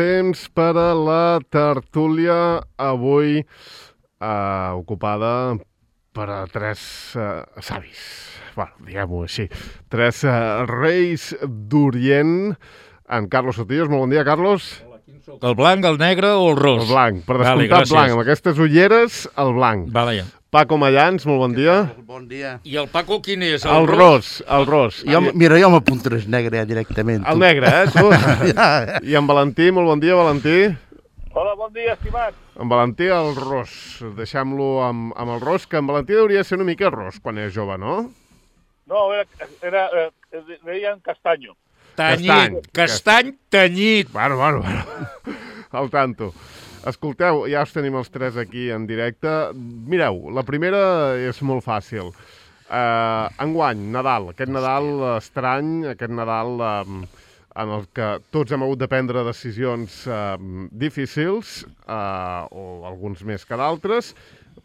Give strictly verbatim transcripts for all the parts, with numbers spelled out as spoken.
Temps per a la tertúlia avui eh, ocupada per a tres eh, savis, bueno, diguem-ho així, tres eh, reis d'Orient. En Carlos Sotillos, molt bon dia, Carlos. Hola, quin sóc? El blanc, el negre o el ros? El blanc, per Vale, descomptat gràcies. blanc, amb aquestes ulleres, el blanc. Vale, ja. Paco Mayans, molt bon dia. Bon dia. I el Paco quin és? El ros, el ros. Jo, mira, jo m'apuntaré negre ja directament. El negre, eh, tu? I en Valentí, molt bon dia, Valentí. Hola, bon dia, estimat. En Valentí, el ros. Deixem-lo amb, amb el ros, que en Valentí hauria de ser una mica ros quan és jove, no? No, era, era eh, deien castanyo. Tanyit, Castany. castany tenyit. Bueno, bueno, bueno. Al tanto. Escolteu, ja us tenim els tres aquí en directe. Mireu, la primera és molt fàcil. Uh, enguany, Nadal. Aquest Nadal estrany, aquest Nadal um, en el que tots hem hagut de prendre decisions um, difícils, uh, o alguns més que d'altres,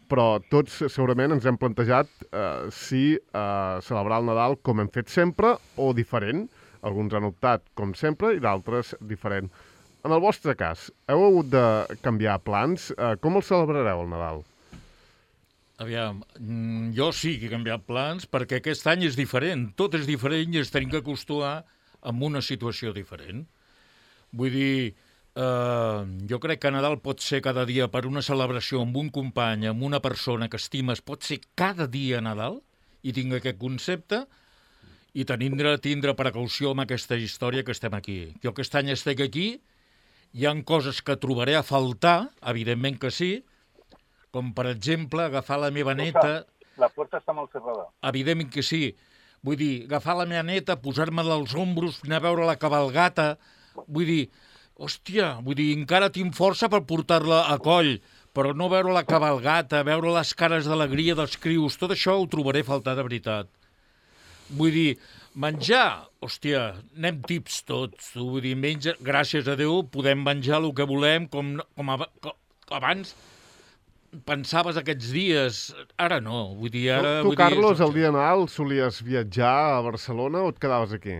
però tots segurament ens hem plantejat uh, si uh, celebrar el Nadal com hem fet sempre o diferent. Alguns han optat com sempre i d'altres diferent. En el vostre cas, heu hagut de canviar plans? Uh, com el celebrareu, el Nadal? Aviam, mm, jo sí que he canviat plans perquè aquest any és diferent. Tot és diferent i ens tenim que acostumar amb una situació diferent. Vull dir, eh, jo crec que Nadal pot ser cada dia per una celebració amb un company, amb una persona que estimes, pot ser cada dia Nadal, i tinc aquest concepte, i tindre, tindre precaució amb aquesta història que estem aquí. Jo aquest any estic aquí, hi ha coses que trobaré a faltar, evidentment que sí, com per exemple agafar la meva neta... La puerta està mal cerrada. Evidentment que sí. Vull dir, agafar la meva neta, posar-me-la als ombros, anar a veure la cabalgata... Vull dir, hòstia, vull dir, encara tinc força per portar-la a coll, però no veure la cabalgata, veure les cares d'alegria dels crios, tot això ho trobaré a faltar de veritat. Vull dir, menjar, hòstia, anem tips tots. Vull dir, menja, gràcies a Déu, podem menjar el que volem, com, com, ab com abans pensaves aquests dies. Ara no, vull dir, ara... Tu, tu vull Carlos, dir, el dia de Nadal solies viatjar a Barcelona o et quedaves aquí?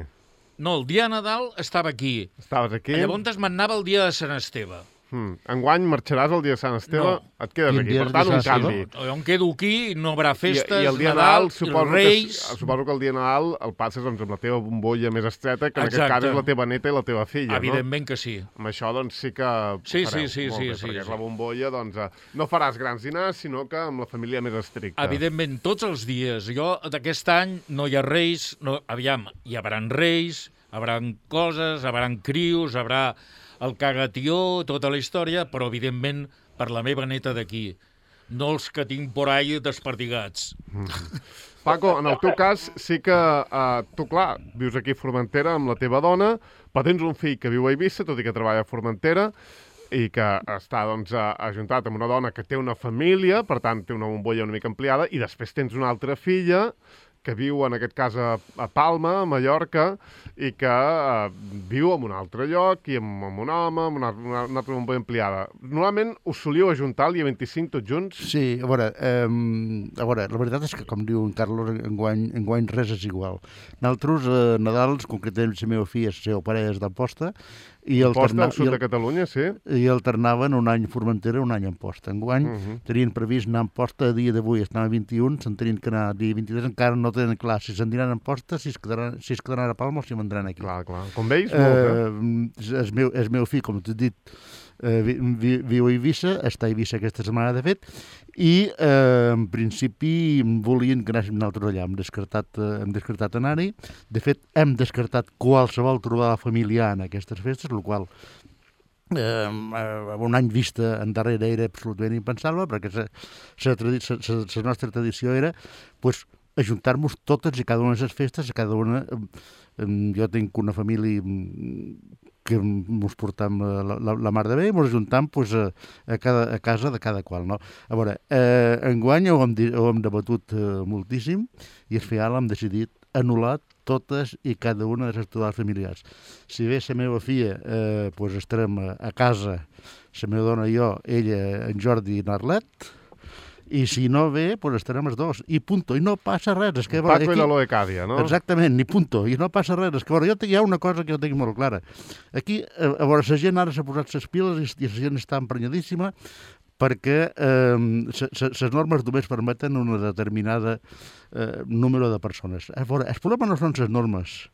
No, el dia de Nadal estava aquí. Estaves aquí? Llavors me'n anava el dia de Sant Esteve. Hmm. Enguany marxaràs el dia de Sant Esteve, No. et quedes Quin aquí. dia Per és tant, de un Sant canvi. Jo em quedo aquí, no hi haurà festes, I, I el dia de Nadal, Nadal, suposo, els Reis... que, suposo que el dia de Nadal el passes doncs, amb la teva bombolla més estreta, que en Exacte. aquest cas és la teva neta i la teva filla, Evidentment que sí. no? Amb això, doncs, sí que Sí, fareu. sí, sí, Molt sí, bé, sí, perquè és sí. la bombolla, doncs, eh, no faràs grans dinars, sinó que amb la família més estricta. Evidentment, tots els dies. Jo, d'aquest any, no hi ha reis, no, aviam, hi haurà reis, hi haurà coses, hi haurà crios, hi haurà el cagatió, tota la història, però, evidentment, per la meva neta d'aquí. No els que tinc por ahí desperdigats. Paco, en el teu cas, sí que eh, tu, clar, vius aquí a Formentera amb la teva dona, però tens un fill que viu a Eivissa, tot i que treballa a Formentera, i que està doncs, a- ajuntat amb una dona que té una família, per tant, té una bombolla una mica ampliada, i després tens una altra filla que viu, en aquest cas, a, a Palma, a Mallorca, i que eh, viu en un altre lloc, i amb, amb un home, amb una, una, una altra bombolla ampliada. Normalment us solíeu ajuntar el dia vint-i-cinc tots junts? Sí, a veure, eh, a veure, la veritat és que, com diu en Carlos, enguany, enguany res és igual. Nosaltres, eh, Nadals, concretament la meva filla, la seva parella és d'Amposta, i Posta al sud i de Catalunya, sí? i alternaven un any a Formentera, un any a Amposta. Enguany Uh -huh. tenien previst anar a Amposta a dia d'avui, estan a vint-i-un, se'n tenien que anar a dia vint-i-tres, encara no tenen clar si se'n diran a Amposta, si es quedaran, si es quedaran a Palma o si vendran aquí. Clar, clar. Com veus, molt, eh? Eh, el, meu, el meu fill, com t'he dit, eh, vi, vi, viu a Eivissa, està a Eivissa aquesta setmana, de fet, i eh, en principi volien que anéssim nosaltres allà. Hem descartat, eh, hem descartat anar-hi. De fet, hem descartat qualsevol trobada familiar en aquestes festes, el qual eh, un any vista endarrere era absolutament impensable, perquè la nostra tradició era pues, ajuntar-nos totes i cada una de les festes, a cada una... Eh, jo tinc una família que ens portam la, la, la mar de bé i ens ajuntam pues, a, a, cada, a casa de cada qual. No? A veure, eh, enguany ho hem, ho hem debatut eh, moltíssim i al final hem decidit anul·lar totes i cada una de les activitats familiars. Si bé la meva filla eh, pues estarem a, a casa, la meva dona i jo, ella, en Jordi i en Arlet, I si no ve, doncs estarem els dos. I punto. I no passa res. És que, Paco aquí... i la Loecàdia, no? Exactament, ni punto. I no passa res. És que, veure, jo hi ha una cosa que jo tinc molt clara. Aquí, a, a veure, la gent ara s'ha posat les piles i la gent està emprenyadíssima perquè les normes només permeten una determinada eh, número de persones. A veure, el problema no són les normes.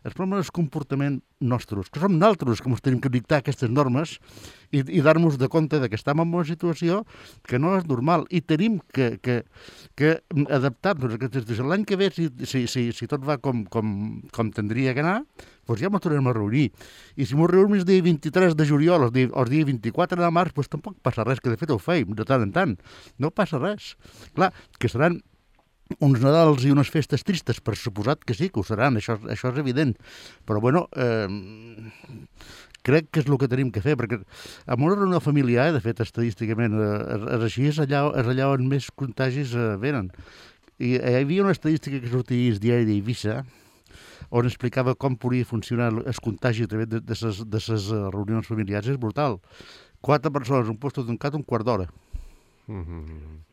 El problema és el comportament nostres, que som nosaltres que ens tenim que dictar aquestes normes i, i dar-nos de compte que estem en una situació que no és normal i tenim que, que, que adaptar-nos a aquestes situacions. L'any que ve, si, si, si, si tot va com, com, com tindria que anar, doncs ja ens tornem a reunir. I si ens reunim el dia vint-i-tres de juliol o el dia, o el dia vint-i-quatre de març, doncs tampoc passa res, que de fet ho feim de tant en tant. No passa res. Clar, que seran uns Nadals i unes festes tristes, per suposat que sí, que ho seran, això, això és evident. Però, bueno, eh, crec que és el que tenim que fer, perquè en una reunió familiar, de fet, estadísticament, eh, és així, és allà, és allà on més contagis eh, venen. I hi havia una estadística que sortia al diari d'Eivissa, on explicava com podia funcionar el contagi a través de les reunions familiars. És brutal. Quatre persones, un lloc tancat, un quart d'hora. Mm-hmm.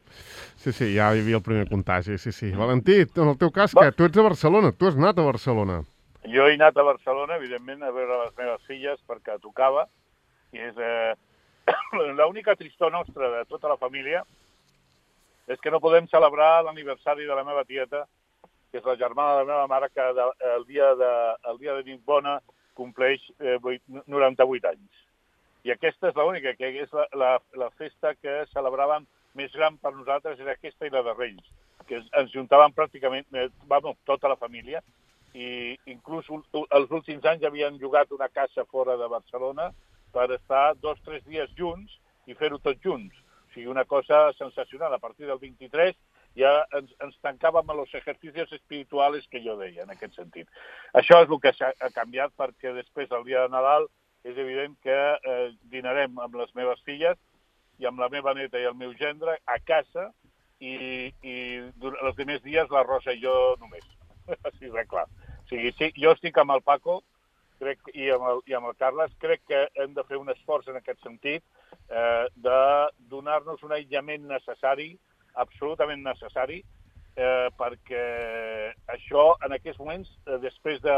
Sí, sí, ja hi havia el primer contagi, sí, sí. Valentí, en el teu cas, què? Tu ets a Barcelona, tu has anat a Barcelona. Jo he anat a Barcelona, evidentment, a veure les meves filles, perquè tocava, i és eh, l'única tristor nostra de tota la família és que no podem celebrar l'aniversari de la meva tieta, que és la germana de la meva mare, que de, el, dia de, el dia de nit bona compleix eh, noranta-vuit anys. I aquesta és l'única, que és la, la, la festa que celebraven més gran per nosaltres, era aquesta i la de Reis, que ens juntaven pràcticament eh, bueno, tota la família, i inclús els últims anys havien llogat una casa fora de Barcelona per estar dos o tres dies junts i fer-ho tots junts. O sigui, una cosa sensacional. A partir del vint-i-tres ja ens, ens tancàvem a los ejercicios espirituals que jo deia, en aquest sentit. Això és el que ha canviat, perquè després, el dia de Nadal, és evident que eh, dinarem amb les meves filles i amb la meva neta i el meu gendre a casa, i, i els primers dies la Rosa i jo només. Així de clar. O sigui, sí, jo estic amb el Paco crec, i, amb el, i amb el Carles, crec que hem de fer un esforç en aquest sentit eh, de donar-nos un aïllament necessari, absolutament necessari, eh, perquè això, en aquests moments, eh, després de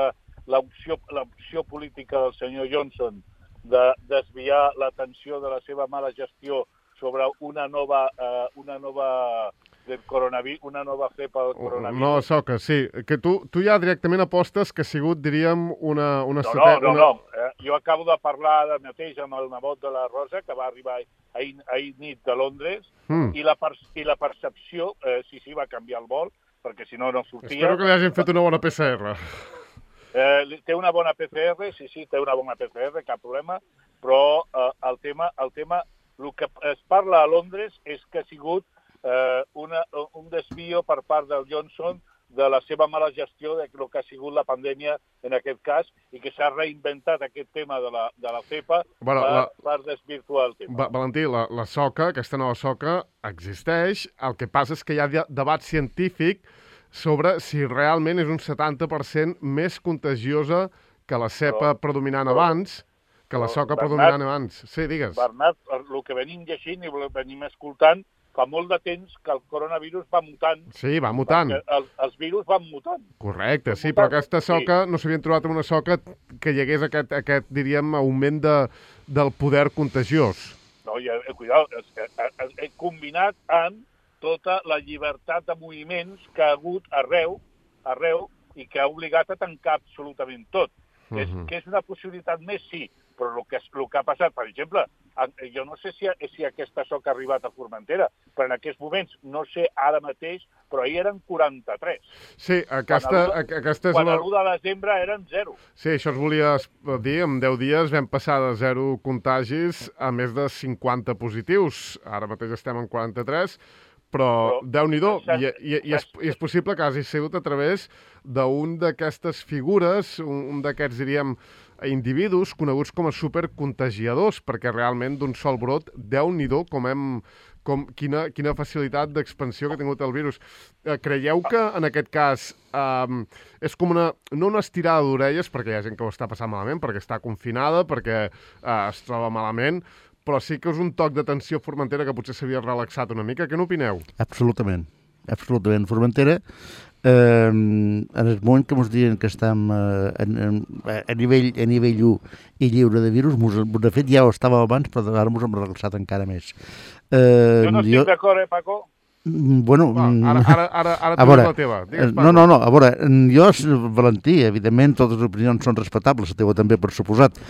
l'opció l'opció política del senyor Johnson de desviar l'atenció de la seva mala gestió sobre una nova, eh, una nova del coronavirus, una nova cepa del coronavirus. No, Soca, sí. Que tu, tu ja directament apostes que ha sigut, diríem, una... una no, estratègia, no, no, una... no. Eh, jo acabo de parlar de mateix amb el nebot de la Rosa, que va arribar ahir, ahir nit de Londres, mm. i, la per, i la percepció, eh, sí, sí, va canviar el vol, perquè si no, no sortia. Espero que li hagin fet una bona P C R. Eh, té una bona P C R, sí, sí, té una bona P C R, cap problema, però eh, el tema, el tema, el que es parla a Londres és que ha sigut eh, una, un desvio per part del Johnson de la seva mala gestió de lo que ha sigut la pandèmia en aquest cas, i que s'ha reinventat aquest tema de la, de la cepa bueno, per, la... per desvirtuar el tema. Va, Valentí, la, la soca, aquesta nova soca, existeix. El que passa és que hi ha debat científic sobre si realment és un setanta per cent més contagiosa que la cepa però, predominant però, abans, que la soca Bernat, predominant abans. Sí, digues. Bernat, el que venim llegint i el que venim escoltant, fa molt de temps que el coronavirus va mutant. Sí, va mutant. El, els virus van mutant. Correcte, sí, però aquesta soca, sí. No s'havien trobat una soca que hi hagués aquest, aquest diríem, augment de, del poder contagiós. No, i, cuidao, he combinat amb tota la llibertat de moviments que ha hagut arreu, arreu i que ha obligat a tancar absolutament tot. Uh -huh. és, que és una possibilitat més, sí, però el que, el que ha passat, per exemple, jo no sé si, si aquesta soca ha arribat a Formentera, però en aquests moments, no sé ara mateix, però ahir eren quaranta-tres. Sí, aquesta, quan aquesta és quan la... l'u de desembre eren zero. Sí, això es volia dir, en deu dies vam passar de zero contagis a més de cinquanta positius. Ara mateix estem en quaranta-tres, però, però déu-n'hi-do, i, i, i, és, i és possible que hagi sigut a través d'un d'aquestes figures, un, un d'aquests, diríem, individus coneguts com a supercontagiadors, perquè realment d'un sol brot, déu-n'hi-do, com hem, com, quina, quina facilitat d'expansió que ha tingut el virus. Eh, creieu que, en aquest cas, eh, és com una, no una estirada d'orelles, perquè hi ha gent que ho està passant malament, perquè està confinada, perquè eh, es troba malament, però sí que és un toc d'atenció a Formentera que potser s'havia relaxat una mica. Què n'opineu? Absolutament, absolutament. Formentera, eh, en el moment que ens diuen que estem eh, en, en, a, nivell, a nivell u i lliure de virus, mos, de fet ja ho estàvem abans, però ara ens hem relaxat encara més. Eh, jo no estic jo... d'acord, eh, Paco? Bueno, Va, ara, ara, ara, ara tu veure, la teva. Digues, no, no, no, a veure, jo, Valentí, evidentment, totes les opinions són respectables, la teva també, per suposat,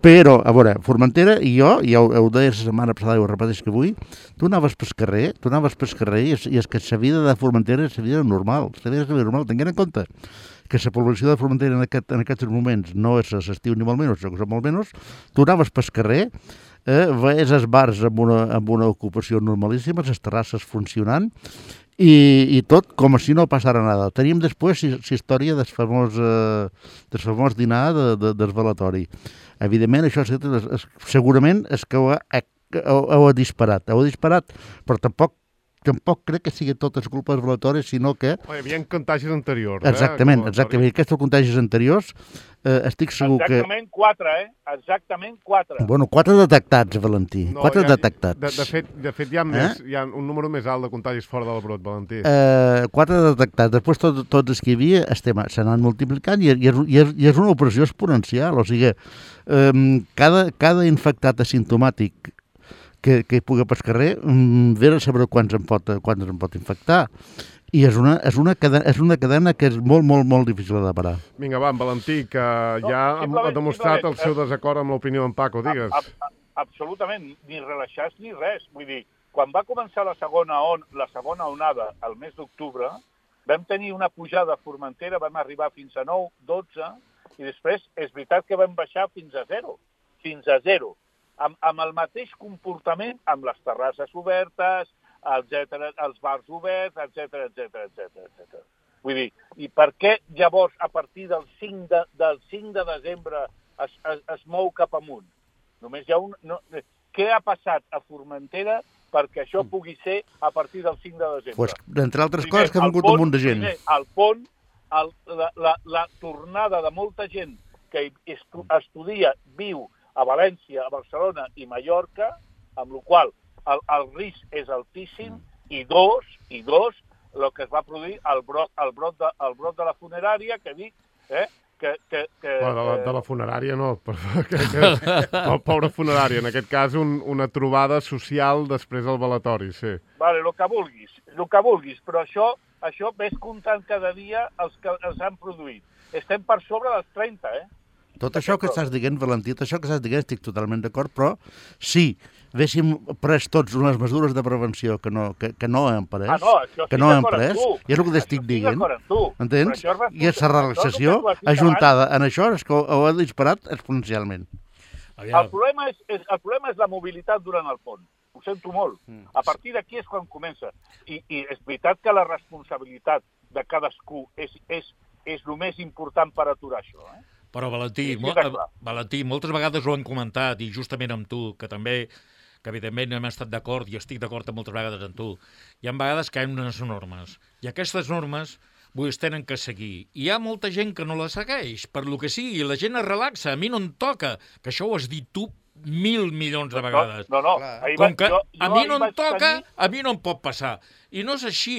però, a veure, Formentera i jo, ja ho, ho deia la setmana passada i ho repeteix que avui, tu anaves pel carrer, tu anaves pel carrer i és, i és que la vida de Formentera és la vida normal, la vida és la vida normal, tinguent en compte que la població de Formentera en, aquest, en aquests moments no és l'estiu ni molt menys, sinó que són molt menys, tu anaves pel carrer, eh, veies els bars amb una, amb una ocupació normalíssima, les terrasses funcionant, i, i tot com si no passara nada. Teníem després la història del famós, eh, del famós dinar de, de, del velatori. Evidentment, això és, és, segurament és que ho ha, ho, ho ha disparat, ho ha disparat, però tampoc tampoc crec que sigui totes culpes velatori, sinó que... Oh, hi havia contagis anteriors, exactament, eh? Exactament, aquests contagis anteriors, eh, estic segur exactament que... Exactament quatre, eh? Exactament quatre. Bueno, quatre detectats, Valentí, no, quatre ha, detectats. De, de, fet, de fet, hi ha, més, eh? hi ha un número més alt de contagis fora del brot, Valentí. Eh, quatre detectats, després tot, tots els que hi havia s'han multiplicant i, i, és, i, és, i és una operació exponencial, o sigui, eh, cada, cada infectat asimptomàtic que, que hi pugui pel carrer, ve a saber quants en pot, quants en pot infectar. I és una, és, una cadena, és una cadena que és molt, molt, molt difícil de parar. Vinga, va, en Valentí, que ja no, ha demostrat el seu desacord amb l'opinió en Paco, digues. A, a, absolutament, ni relaxats ni res. Vull dir, quan va començar la segona, on, la segona onada, al mes d'octubre, vam tenir una pujada a Formentera, vam arribar fins a nou, dotze, i després és veritat que vam baixar fins a zero. Fins a zero. Amb, amb el mateix comportament, amb les terrasses obertes, etcètera, els bars oberts, etcètera, etcètera, etcètera. Vull dir, i per què llavors, a partir del cinc de, del cinc de desembre, es, es, es mou cap amunt? Només hi ha un... No, què ha passat a Formentera perquè això pugui ser a partir del cinc de desembre? Pues, entre altres primer, coses, que ha vingut un munt de gent. Primer, el pont, el, la, la, la tornada de molta gent que estu, estudia, viu a València, a Barcelona i Mallorca, amb la qual el, el risc és altíssim, i dos, i dos, el que es va produir el brot, el brot, de, el brot de la funerària, que dic, eh, que... que, que bueno, de, la, de la funerària no, però que, que, el pobre funerària, en aquest cas un, una trobada social després del velatori, sí. Vale, el que vulguis, el que vulguis, però això, això ves comptant cada dia els que els han produït. Estem per sobre dels trenta, eh? Tot això que estàs dient, Valentí, tot això que estàs dient estic totalment d'acord, però sí, haguéssim pres tots unes mesures de prevenció que no, que, que no hem pres, ah, no, això que no hem pres, i és el que t'estic dient, entens? I aquesta relaxació, ajuntada en això, és que ho ha disparat exponencialment. El problema és, és, el problema és la mobilitat durant el pont. Ho sento molt. A partir d'aquí és quan comença. I, i és veritat que la responsabilitat de cadascú és, és, és el més important per aturar això, eh? Però, Valentí, mo Valentí, moltes vegades ho han comentat, i justament amb tu, que també, que evidentment hem estat d'acord, i estic d'acord moltes vegades amb tu, hi ha vegades que hi ha unes normes, i aquestes normes vull dir, es tenen que seguir. I hi ha molta gent que no les segueix, per lo que sigui, la gent es relaxa, a mi no em toca, que això ho has dit tu mil milions de vegades. No, no, no. Com que a mi no em toca, a mi no em pot passar. I no és així.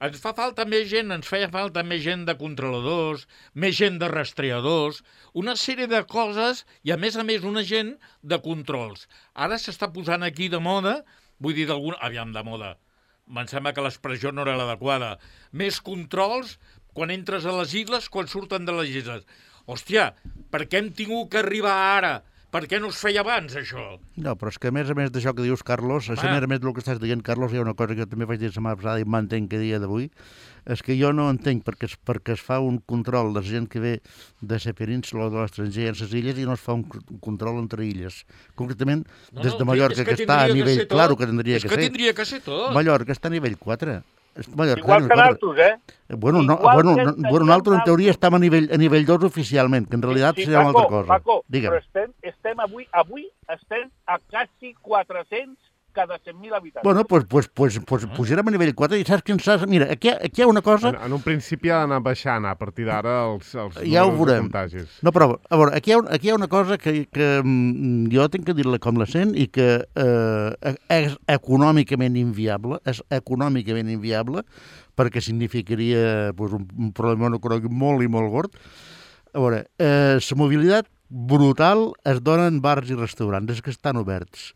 Ens fa falta més gent, ens feia falta més gent de controladors, més gent de rastreadors, una sèrie de coses i, a més a més, una gent de controls. Ara s'està posant aquí de moda, vull dir, d'alguna... Aviam, de moda. Em sembla que l'expressió no era l'adequada. Més controls quan entres a les illes, quan surten de les illes. Hòstia, per què hem tingut que arribar ara? Per què no es feia abans, això? No, però és que a més a més d'això que dius, Carlos, a més a més del que estàs dient, Carlos, hi ha una cosa que jo també vaig dir la setmana passada i m'entenc que dia d'avui, és que jo no entenc perquè es, perquè es fa un control de la gent que ve de la península o de l'estranger en les illes i no es fa un control entre illes. Concretament, no, des de Mallorca, que, que, que està a nivell... Claro que tindria que ser. És que tindria que ser tot. Mallorca està a nivell quatre. Mallorca, igual que nosaltres, eh? Bueno, no, bueno, no, bueno, nosaltres en teoria estem a nivell, a nivell dos oficialment, que en realitat sí, sí, serà Paco, una altra cosa. Paco, Digue'm. Però estem, estem avui, avui estem a quasi quatre-cents cada cent mil habitants. Bueno, doncs pues, pues, pues, pues, pujarem a nivell quatre i saps quin saps? Mira, aquí, aquí hi ha una cosa... En, en un principi ha d'anar baixant a partir d'ara els, els ja ho números de veurem. contagis. No, però, a veure, aquí hi ha, aquí hi ha una cosa que, que mm, jo tinc que dir-la com la sent i que eh, és econòmicament inviable, és econòmicament inviable, perquè significaria pues, un, un problema econòmic molt i molt gord. A veure, eh, la mobilitat brutal es dona en bars i restaurants, és que estan oberts.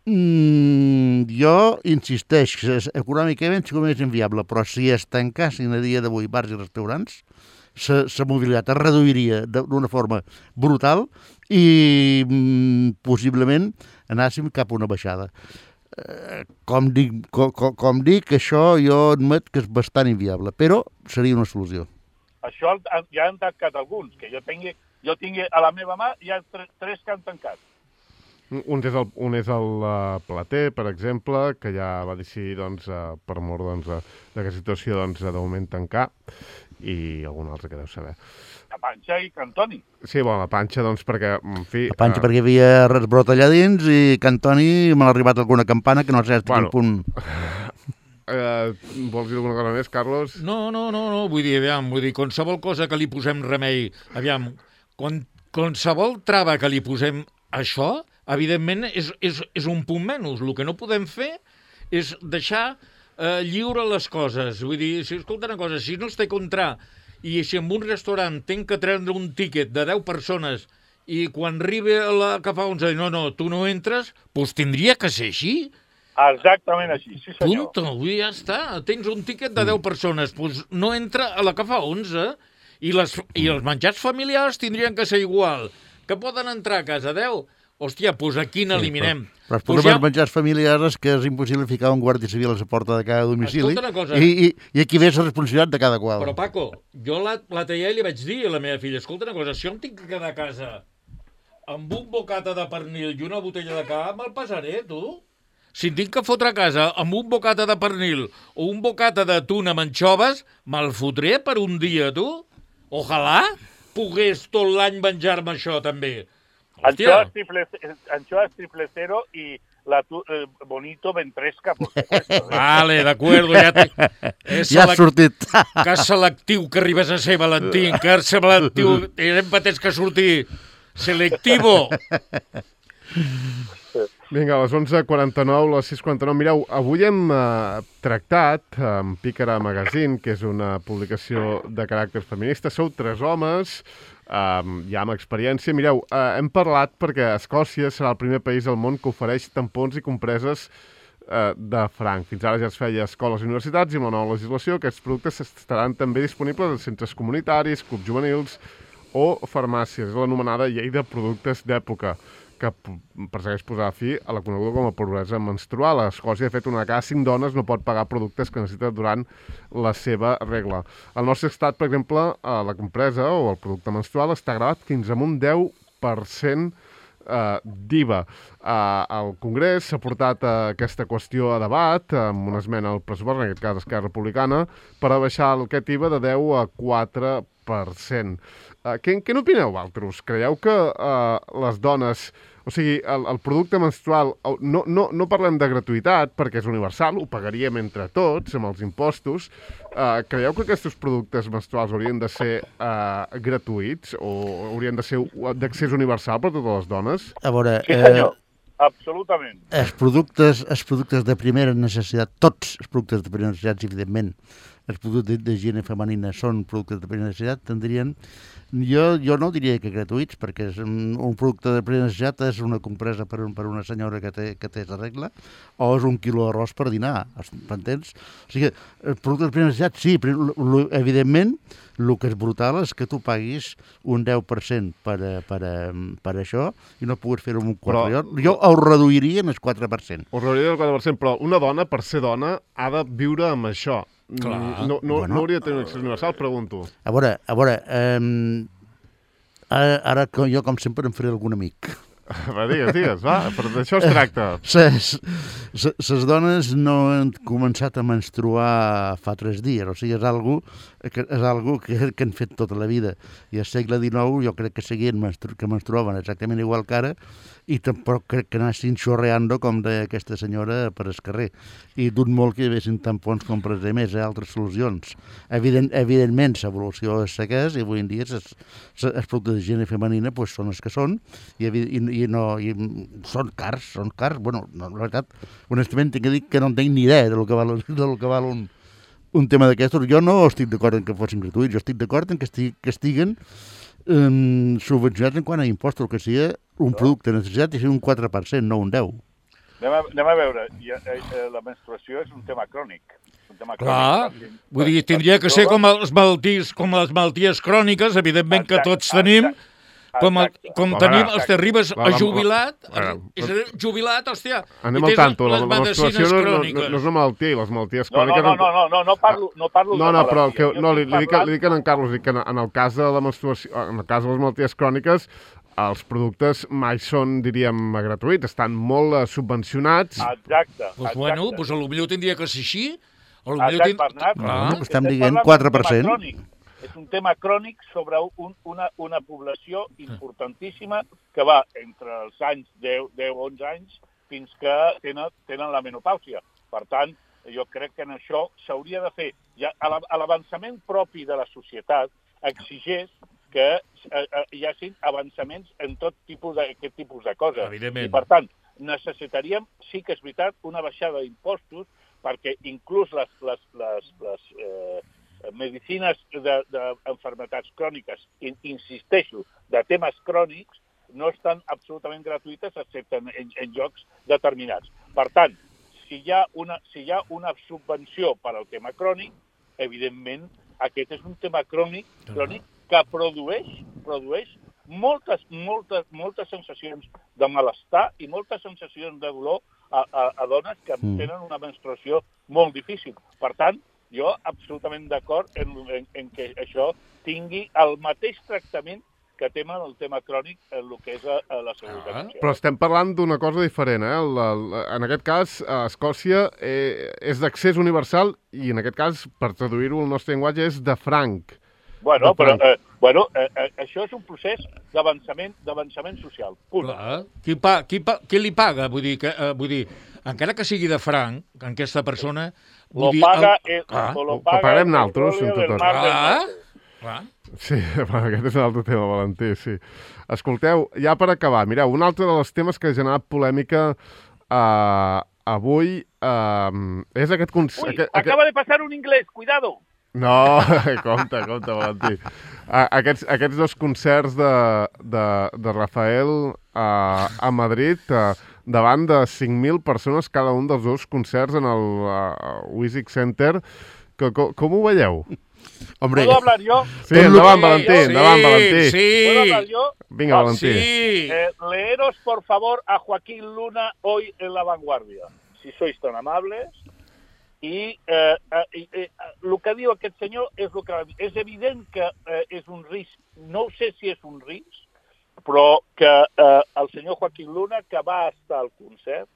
Mm, jo insisteix que és, econòmicament sí que és inviable, però si es tancassin a dia d'avui bars i restaurants, la mobilitat es reduiria d'una forma brutal i mm, possiblement anàssim cap a una baixada. Eh, com, dic, com, com dic, això jo admet que és bastant inviable, però seria una solució. Això ja han tancat alguns, que jo tingui, jo tingui a la meva mà, hi ha tres, tres que han tancat. Un és el, un és el uh, Plater, per exemple, que ja va decidir, doncs, uh, per mort doncs, uh, d'aquesta situació, doncs, de moment tancar, i algun altre que deu saber. La Panxa i Cantoni. Sí, bueno, la Panxa, doncs, perquè, en fi... La Panxa uh... perquè hi havia resbrot allà dins i Cantoni m'ha arribat alguna campana que no sé fins bueno, quin punt... Uh, vols dir alguna cosa més, Carlos? No, no, no, no, vull dir, aviam, vull dir, qualsevol cosa que li posem remei, aviam, quan, qualsevol trava que li posem això, evidentment, és, és, és un punt menys. El que no podem fer és deixar eh, lliure les coses. Vull dir, si escolta una cosa, si no es té contra i si en un restaurant tenc que treure un tíquet de deu persones i quan arribi a la que fa onze, no, no, tu no entres, doncs tindria que ser així. Exactament així, sí senyor. Punto, avui ja està. Tens un tíquet de deu persones, doncs no entra a la que fa onze. I, les, I els menjars familiars tindrien que ser igual. Que poden entrar a casa deu? Hòstia, doncs aquí n'eliminem. Sí, però, però els problemes pues ja... menjars familiars és que és impossible ficar un guàrdia civil a la porta de cada domicili. Escolta una cosa. I, i, i aquí ve la responsabilitat de cada qual. Però, Paco, jo l'altre dia li vaig dir a la meva filla, escolta una cosa, si jo em tinc que quedar a casa amb un bocata de pernil i una botella de cava, me'l passaré, tu? Si em tinc que fotre a casa amb un bocata de pernil o un bocata de tuna amb anxoves, me'l fotré per un dia, tu? Ojalà pogués tot l'any menjar-me això, també. Anchoas triple, anchoas triple cero i la tu, eh, bonito ventresca, por supuesto. ¿eh? Vale, d'acord, ja, ja ha sortit. Que selectiu que arribes a ser, Valentín, que selectiu, hem patès que sortir selectivo. Vinga, a les onze quaranta-nou, a les sis quaranta-nou. Mireu, avui hem eh, tractat amb Pícara Magazine, que és una publicació de caràcter feminista. Sou tres homes, eh, ja amb experiència. Mireu, eh, hem parlat perquè Escòcia serà el primer país del món que ofereix tampons i compreses eh, de franc. Fins ara ja es feia a escoles i universitats i amb la nova legislació aquests productes estaran també disponibles en centres comunitaris, clubs juvenils o farmàcies. És l'anomenada llei de productes d'època, que persegueix posar fi a la coneguda com a pobresa menstrual. A Escòcia, de fet, una de cada cinc dones no pot pagar productes que necessita durant la seva regla. Al nostre estat, per exemple, la compresa o el producte menstrual està gravat fins a un deu per cent eh, d'I V A. Eh, al Congrés s'ha portat eh, aquesta qüestió a debat amb una esmena al pressupost, en aquest cas Esquerra Republicana, per a baixar aquest I V A de deu a quatre per cent. Eh, què, què n'opineu, vosaltres? Creieu que eh, les dones... O sigui, el, el producte menstrual, no, no, no parlem de gratuïtat perquè és universal, ho pagaríem entre tots amb els impostos. Uh, creieu que aquests productes menstruals haurien de ser uh, gratuïts o haurien de ser d'accés universal per a totes les dones? A veure... Sí, senyor. Eh... Absolutament. Els productes, els productes de primera necessitat, tots els productes de primera necessitat, evidentment, els productes d'higiene femenina són productes de primera necessitat, tindrien... Jo, jo no diria que gratuïts, perquè és un, un producte de primera necessitat és una compresa per, un, per una senyora que té, que té la regla, o és un quilo d'arròs per dinar, m'entens? O sigui, el producte de primera necessitat, sí, però lo, evidentment, el que és brutal és que tu paguis un deu per cent per, per, per això i no puguis fer-ho amb un quatre per cent. Jo, jo ho reduiria en el quatre per cent. Ho reduiria en el quatre per cent, però una dona, per ser dona, ha de viure amb això. Clar. No, no, bueno, no hauria de tenir un accés universal, pregunto. A veure, a veure, um, ara, ara jo com sempre em faré algun amic. Va, digues, digues, va, però d'això es tracta. Ses, les dones no han començat a menstruar fa tres dies, o sigui, és algo que, és algo que, que han fet tota la vida. I al segle dinou jo crec que seguien menstru que menstruaven exactament igual que ara i tampoc crec que anessin xorreando, com deia aquesta senyora, per el carrer. I dut molt que hi haguessin tampons com per més, eh, altres solucions. Evident, evidentment, l'evolució és la que és i avui en dia els productes d'higiene femenina pues, són els que són i, i, i, no, i són cars, són cars. Bueno, no, la veritat, honestament, tinc que dir que no en tinc ni idea del que val, del que val un, un tema d'aquestos. Jo no estic d'acord en que fossin gratuïts, jo estic d'acord en que, estig, que estiguen um, subvencionats en quant a impostos, que sigui un producte de necessitat i sigui un quatre per cent, no un deu. Anem a, anem a veure, ja, eh, la menstruació és un tema crònic. Un tema Clar, crònic. vull dir, tindria que ser com les malalties, com les malalties cròniques, evidentment que tots tenim, com, el, com tenim els que arribes a jubilat, és jubilat, hòstia, anem al tanto, la menstruació no, no, no és una malaltia, les malalties cròniques... No, no, no, no, no parlo, no parlo no, de no, però malaltia. que, no, li, li, dic, li dic en Carlos, dic que en el cas de la menstruació, en el cas de les malalties cròniques, els productes mai són, diríem, gratuïts, estan molt uh, subvencionats. Exacte. Pues bueno, pues potser tindria que ser així. Exacte, Bernat. Ah, estem dient quatre per cent. És un tema crònic sobre un, una, una població importantíssima que va entre els anys deu, onze anys fins que tenen, tenen la menopàusia. Per tant, jo crec que en això s'hauria de fer. Ja, a l'avançament propi de la societat exigeix que eh, hi hagi avançaments en tot tipus d'aquest tipus de coses. Evidentment. I, per tant, necessitaríem, sí que és veritat, una baixada d'impostos perquè inclús les, les, les, les eh, medicines d'enfermetats cròniques, in, insisteixo, de temes crònics, no estan absolutament gratuïtes excepte en, en, en llocs determinats. Per tant, si hi ha una, si hi ha una subvenció per al tema crònic, evidentment, aquest és un tema crònic, crònic que produeix, produeix moltes, moltes, moltes sensacions de malestar i moltes sensacions de dolor a, a, a dones que mm. tenen una menstruació molt difícil. Per tant, jo absolutament d'acord en, en, en que això tingui el mateix tractament que tema el tema crònic en el que és a, a la seguretat ah, social. Però estem parlant d'una cosa diferent, eh? La, la, en aquest cas, a Escòcia eh, és d'accés universal i en aquest cas, per traduir-ho al nostre llenguatge, és de franc. Bueno, però eh, bueno, eh, eh, això és un procés d'avançament d'avançament social. Punt. Clar. Qui, pa, qui, pa, qui li paga? Vull dir, que, eh, vull dir, encara que sigui de franc, en aquesta persona... Vull lo dir, paga, el... el, ah. o lo Ho paga pagarem el naltros, petróleo del tot. mar del Ah. norte. Clar. Sí, aquest és un altre tema, Valentí, sí. Escolteu, ja per acabar, mireu, un altre dels temes que ha generat polèmica uh, avui uh, és aquest... Uy, aquest, acaba de passar un inglès, cuidado! No, compte, compte, Valentí. Uh, aquests, aquests dos concerts de, de, de Rafael uh, a Madrid, uh, davant de cinc mil persones cada un dels dos concerts en el uh, Wisic Center, que, com, com ho veieu? Hombre, ¿Puedo hablar yo? Sí, endavant, Valentí, sí, endavant, Valentí. Sí, ¿Puedo hablar yo? Vinga, Valentí. sí. Eh, leeros, por favor, a Joaquín Luna hoy en La Vanguardia, si sois tan amables. I eh, eh, eh, el que diu aquest senyor és el que és evident que eh, és un risc, no sé si és un risc, però que eh, el senyor Joaquín Luna, que va estar al concert,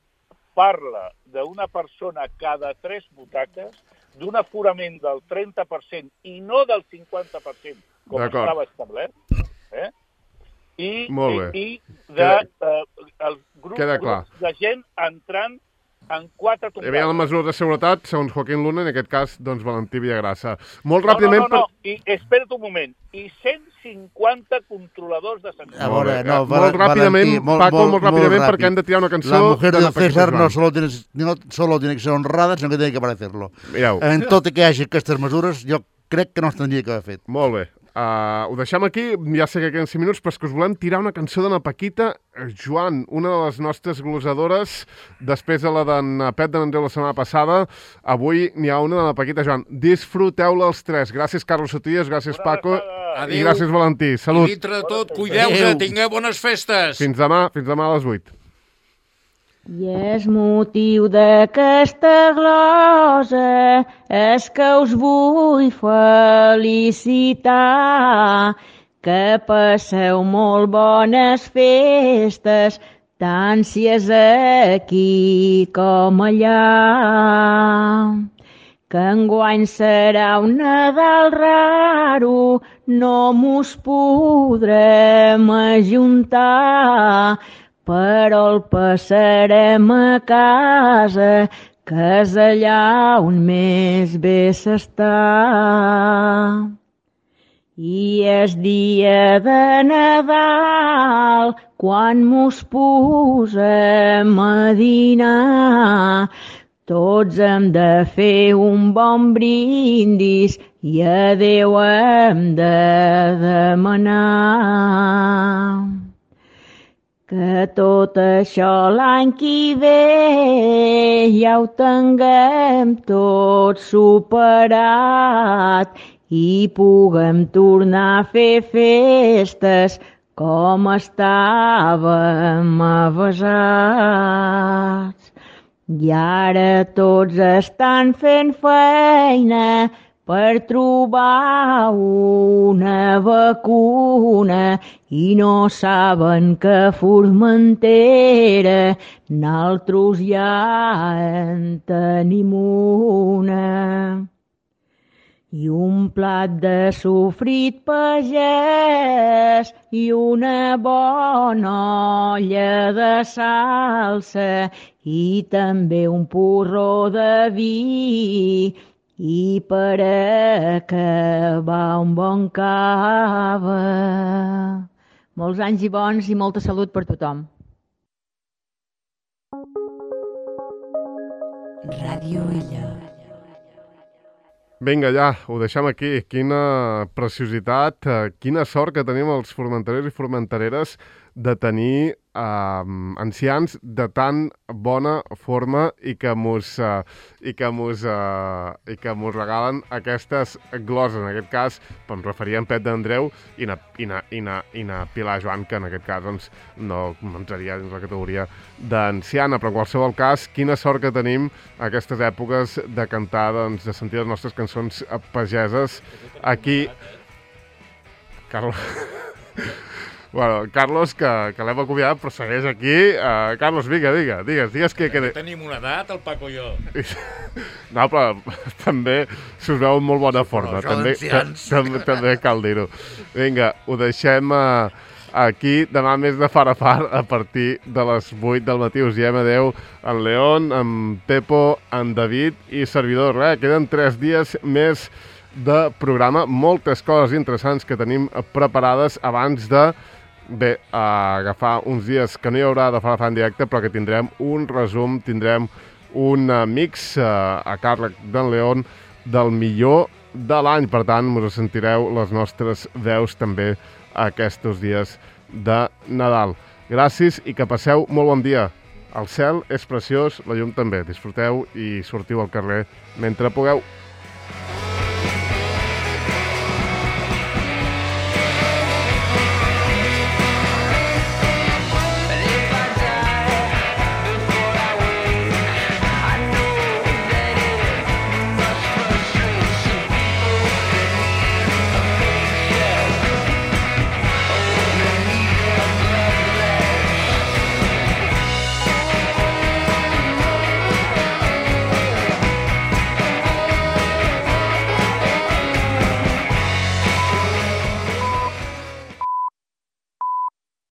parla d'una persona cada tres butaques, d'un aforament del trenta per cent i no del cinquanta per cent, com estava establert, eh? I, Molt bé. i, i de eh, el grup, Queda clar. grups de gent entrant en quatre Hi havia la mesura de seguretat, segons Joaquín Luna, en aquest cas, doncs, Valentí Villagrassa. Molt no, ràpidament... No, no, no, I espera't un moment. I cent cinquanta controladors de sanitat. A veure, Molt bé. no, Eh, molt ràpidament, Valentí, molt, Paco, molt, molt ràpidament, ràpid. perquè hem de tirar una cançó... La mujer de del Paquito César no Joan. solo, tiene, no solo tiene que ser honrada, sinó que tiene que parecerlo. Mireu, En tot i que hi hagi aquestes mesures, jo crec que no es tindria que haver fet. molt bé. Uh, ho deixem aquí, ja sé que queden cinc minuts, però és que us volem tirar una cançó d'Anna Paquita Joan, una de les nostres glosadores, després de la d'en Pep de Nandreu la setmana passada. Avui n'hi ha una d'Anna Paquita Joan. Disfruteu-la els tres. Gràcies, Carlos Sotillas, gràcies, Paco, Adéu. i gràcies, Valentí. Salut. I dintre de tot, cuideu-se, tingueu bones festes. Fins demà, fins demà a les vuit. I és motiu d'aquesta glosa és que us vull felicitar, que passeu molt bones festes, tant si és aquí com allà. Que enguany serà un Nadal raro, no mos podrem ajuntar, però el passarem a casa, que és allà on més bé s'està. I és dia de Nadal, quan mos posem a dinar, tots hem de fer un bon brindis i a Déu hem de demanar. Que tot això l'any que ve ja ho tinguem tot superat i puguem tornar a fer festes com estàvem avesats. I ara tots estan fent feina per trobar una vacuna i no saben que Formentera naltros ja en tenim una. I un plat de sofrit pagès i una bona olla de salsa i també un porró de vi i per acabar un bon cava. Molts anys i bons i molta salut per tothom. Ràdio Illa. Vinga, ja, ho deixem aquí. Quina preciositat, quina sort que tenim els formenterers i formentereres de tenir eh, ancians de tan bona forma i que mos, eh, i que mos, eh, i que mos regalen aquestes gloses. En aquest cas, em referia a en Pep d'Andreu i na, i, na, i, na, i na Pilar Joan, que en aquest cas doncs, no entraria dins la categoria d'anciana, però en qualsevol cas, quina sort que tenim aquestes èpoques de cantar, doncs, de sentir les nostres cançons pageses aquí. Carlos... Bueno, Carlos, que, que l'hem acomiadat, però segueix aquí. Uh, Carlos, vinga, vinga, digues, digues que... que... Tenim una edat, el Paco i jo. No, però també s'us veu en molt bona forma. També, també, també cal dir-ho. Vinga, ho deixem uh, aquí. Demà més de far a far a partir de les vuit del matí. Us diem adeu en León, en Pepo, en David i servidor. Res, queden tres dies més de programa. Moltes coses interessants que tenim preparades abans de... Bé, a agafar uns dies que no hi haurà de Far a Far en directe, però que tindrem un resum, tindrem un mix uh, a càrrec d'en León del millor de l'any. Per tant, us sentireu les nostres veus també aquests dies de Nadal. Gràcies i que passeu molt bon dia. El cel és preciós, la llum també. Disfruteu i sortiu al carrer mentre pugueu.